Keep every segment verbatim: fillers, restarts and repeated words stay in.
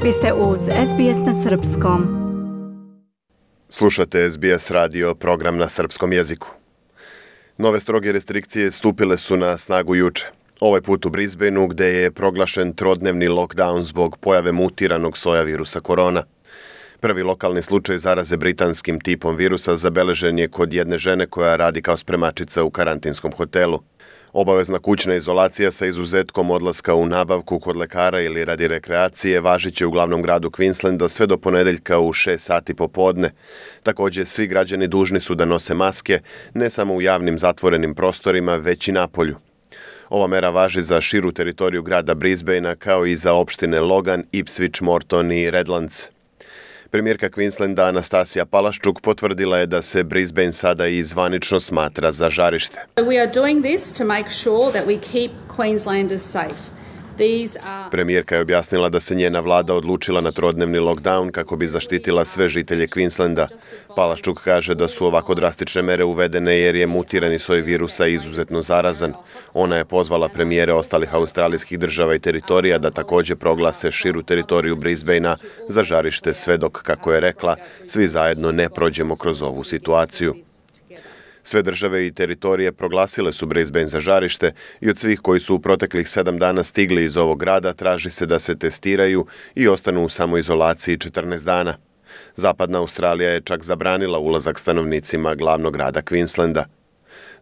Vi ste uz S B S na srpskom. Slušate S B S radio, program na srpskom jeziku. Nove stroge restrikcije stupile su na snagu juče. Ovaj put u Brisbaneu, gde je proglašen trodnevni lockdown zbog pojave mutiranog soja virusa korona. Prvi lokalni slučaj zaraze britanskim tipom virusa zabeležen je kod jedne žene koja radi kao spremačica u karantinskom hotelu. Obavezna kućna izolacija sa izuzetkom odlaska u nabavku kod lekara ili radi rekreacije važiće u glavnom gradu Queenslanda sve do ponedeljka u šest sati popodne. Također, svi građani dužni su da nose maske, ne samo u javnim zatvorenim prostorima, već i napolju. Ova mera važi za širu teritoriju grada Brisbanea kao i za opštine Logan, Ipswich, Morton i Redlands. Premijerka Queenslanda Anastasija Palaščuk potvrdila je da se Brisbane sada i zvanično smatra za žarište. We are doing this to make sure that we keep Queenslanders safe. Are... Premijerka je objasnila da se njena vlada odlučila na trodnevni lockdown kako bi zaštitila sve žitelje Queenslanda. Palaščuk kaže da su ovako drastične mere uvedene jer je mutirani soj virusa izuzetno zarazan. Ona je pozvala premijere ostalih australijskih država i teritorija da također proglase širu teritoriju Brisbanea za žarište sve dok, kako je rekla, svi zajedno ne prođemo kroz ovu situaciju. Sve države i teritorije proglasile su Brisbane za žarište i od svih koji su u proteklih sedam dana stigli iz ovog grada traži se da se testiraju i ostanu u samoizolaciji četrnaest dana. Zapadna Australija je čak zabranila ulazak stanovnicima glavnog grada Queenslanda.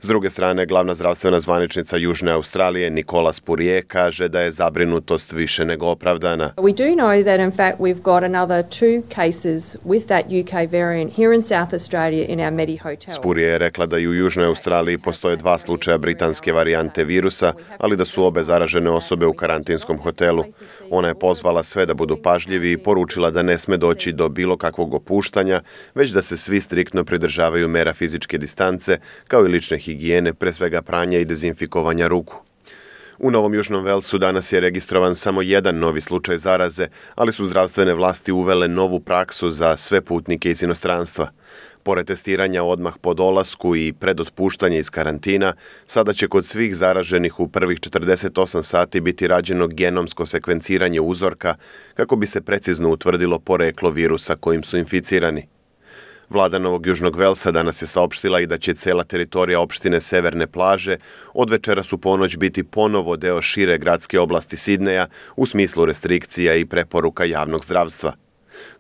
S druge strane, glavna zdravstvena zvaničnica Južne Australije Nicola Spurrier kaže da je zabrinutost više nego opravdana. We do know that in fact we've got another two cases with that U K variant here in South Australia in our Medi hotel. Spurrier je rekla da i u Južnoj Australiji postoje dva slučaja britanske varijante virusa, ali da su obe zaražene osobe u karantinskom hotelu. Ona je pozvala sve da budu pažljivi i poručila da ne sme doći do bilo kakvog opuštanja, već da se svi striktno pridržavaju mera fizičke distance, kao i lične higijene, pre svega pranja i dezinfikovanja ruku. U Novom Južnom Velsu danas je registrovan samo jedan novi slučaj zaraze, ali su zdravstvene vlasti uvele novu praksu za sve putnike iz inostranstva. Pored testiranja odmah po dolasku i pred otpuštanje iz karantina, sada će kod svih zaraženih u prvih četrdeset osam sati biti rađeno genomsko sekvenciranje uzorka kako bi se precizno utvrdilo poreklo virusa kojim su inficirani. Vlada Novog Južnog Velsa danas je saopštila i da će cela teritorija opštine Severne plaže od večeras u ponoć biti ponovo deo šire gradske oblasti Sidneja u smislu restrikcija i preporuka javnog zdravstva.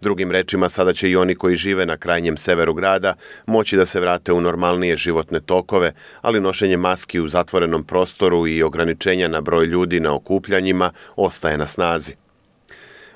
Drugim rečima, sada će i oni koji žive na krajnjem severu grada moći da se vrate u normalnije životne tokove, ali nošenje maski u zatvorenom prostoru i ograničenja na broj ljudi na okupljanjima ostaje na snazi.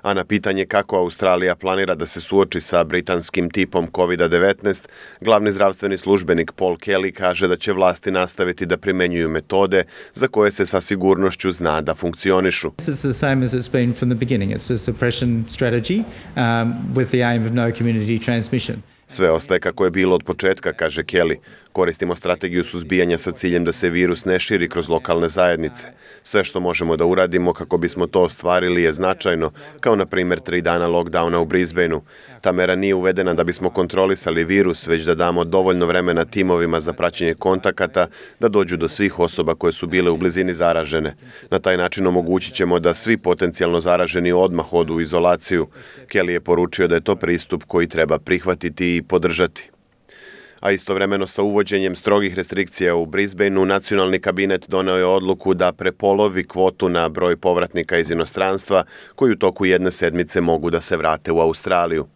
A na pitanje kako Australija planira da se suoči sa britanskim tipom kovid devetnaest, glavni zdravstveni službenik Paul Kelly kaže da će vlasti nastaviti da primenjuju metode za koje se sa sigurnošću zna da funkcionišu. This is the same as it's been from the beginning. It's a suppression strategy um, with the aim of no community transmission. Sve ostaje kako je bilo od početka, kaže Kelly. Koristimo strategiju suzbijanja sa ciljem da se virus ne širi kroz lokalne zajednice. Sve što možemo da uradimo kako bismo to ostvarili je značajno, kao na primjer tri dana lockdowna u Brisbaneu. Ta mera nije uvedena da bismo kontrolisali virus, već da damo dovoljno vremena timovima za praćenje kontakata da dođu do svih osoba koje su bile u blizini zaražene. Na taj način omogućit ćemo da svi potencijalno zaraženi odmah odu u izolaciju. Kelly je poručio da je to pristup koji treba prihvatiti i podržati. A istovremeno sa uvođenjem strogih restrikcija u Brisbaneu, nacionalni kabinet doneo je odluku da prepolovi kvotu na broj povratnika iz inostranstva koji u toku jedne sedmice mogu da se vrate u Australiju.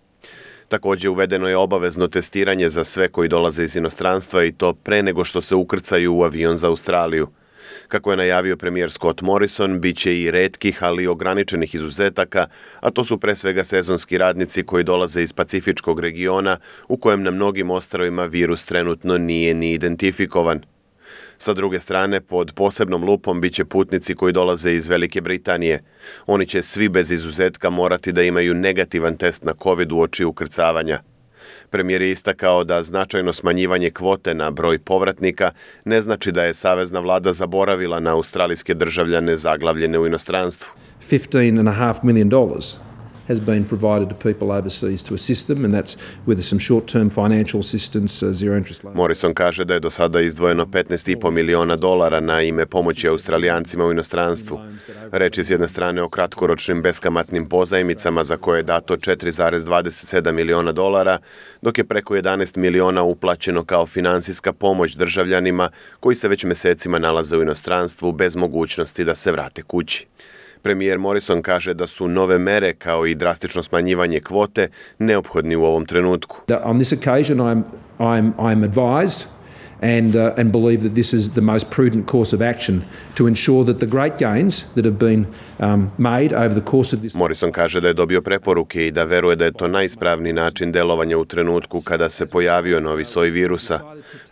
Također uvedeno je obavezno testiranje za sve koji dolaze iz inostranstva i to pre nego što se ukrcaju u avion za Australiju. Kako je najavio premijer Scott Morrison, bit će i retkih, ali ograničenih izuzetaka, a to su pre svega sezonski radnici koji dolaze iz Pacifičkog regiona, u kojem na mnogim ostrvima virus trenutno nije ni identifikovan. Sa druge strane, pod posebnom lupom bit će putnici koji dolaze iz Velike Britanije. Oni će svi bez izuzetka morati da imaju negativan test na COVID uoči ukrcavanja. Premijer je istakao da značajno smanjivanje kvote na broj povratnika ne znači da je savezna vlada zaboravila na australijske državljane zaglavljene u inostranstvu. fifteen and a half million dollars has been provided to people overseas to assist them, and that's with some short-term financial assistance, uh, zero interest loans. Morrison kaže da je do sada izdvojeno petnaest i po miliona dolara na ime pomoći Australijancima u inostranstvu. Reč je s jedne strane o kratkoročnim beskamatnim pozajmicama za koje je dato četiri zarez dvadeset sedam miliona dolara, dok je preko jedanaest miliona uplaćeno kao finansijska pomoć državljanima koji se već mesecima nalaze u inostranstvu bez mogućnosti da se vrate kući. Premijer Morrison kaže da su nove mere kao i drastično smanjivanje kvote neophodni u ovom trenutku. On this occasion I'm I'm I'm advised and uh, and believe that this is the most prudent course of action to ensure that the great gains that have been um, made over the course of this. Morrison kaže da je dobio preporuke i da veruje da je to najispravniji način delovanja u trenutku kada se pojavio novi soj virusa.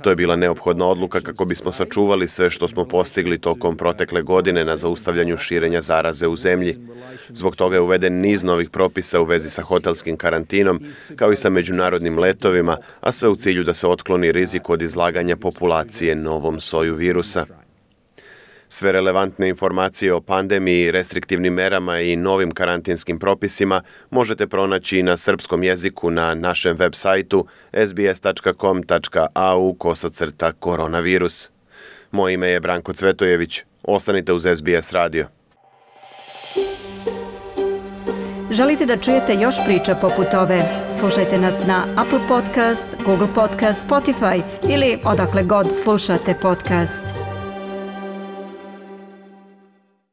To je bila neophodna odluka kako bismo sačuvali sve što smo postigli tokom protekle godine na zaustavljanju širenja zaraze u zemlji. Zbog toga je uveden niz novih propisa u vezi sa hotelskim karantinom, kao i sa međunarodnim letovima, a sve u cilju da se otkloni rizik od izlaganja populacije novom soju virusa. Sve relevantne informacije o pandemiji, restriktivnim merama i novim karantinskim propisima možete pronaći na srpskom jeziku na našem web sajtu s b s tačka com tačka a u kosacrta koronavirus. Moje ime je Branko Cvetojević. Ostanite uz S B S radio. Želite da čujete još priča poput ove? Slušajte nas na Apple Podcast, Google Podcast, Spotify ili odakle god slušate podcast.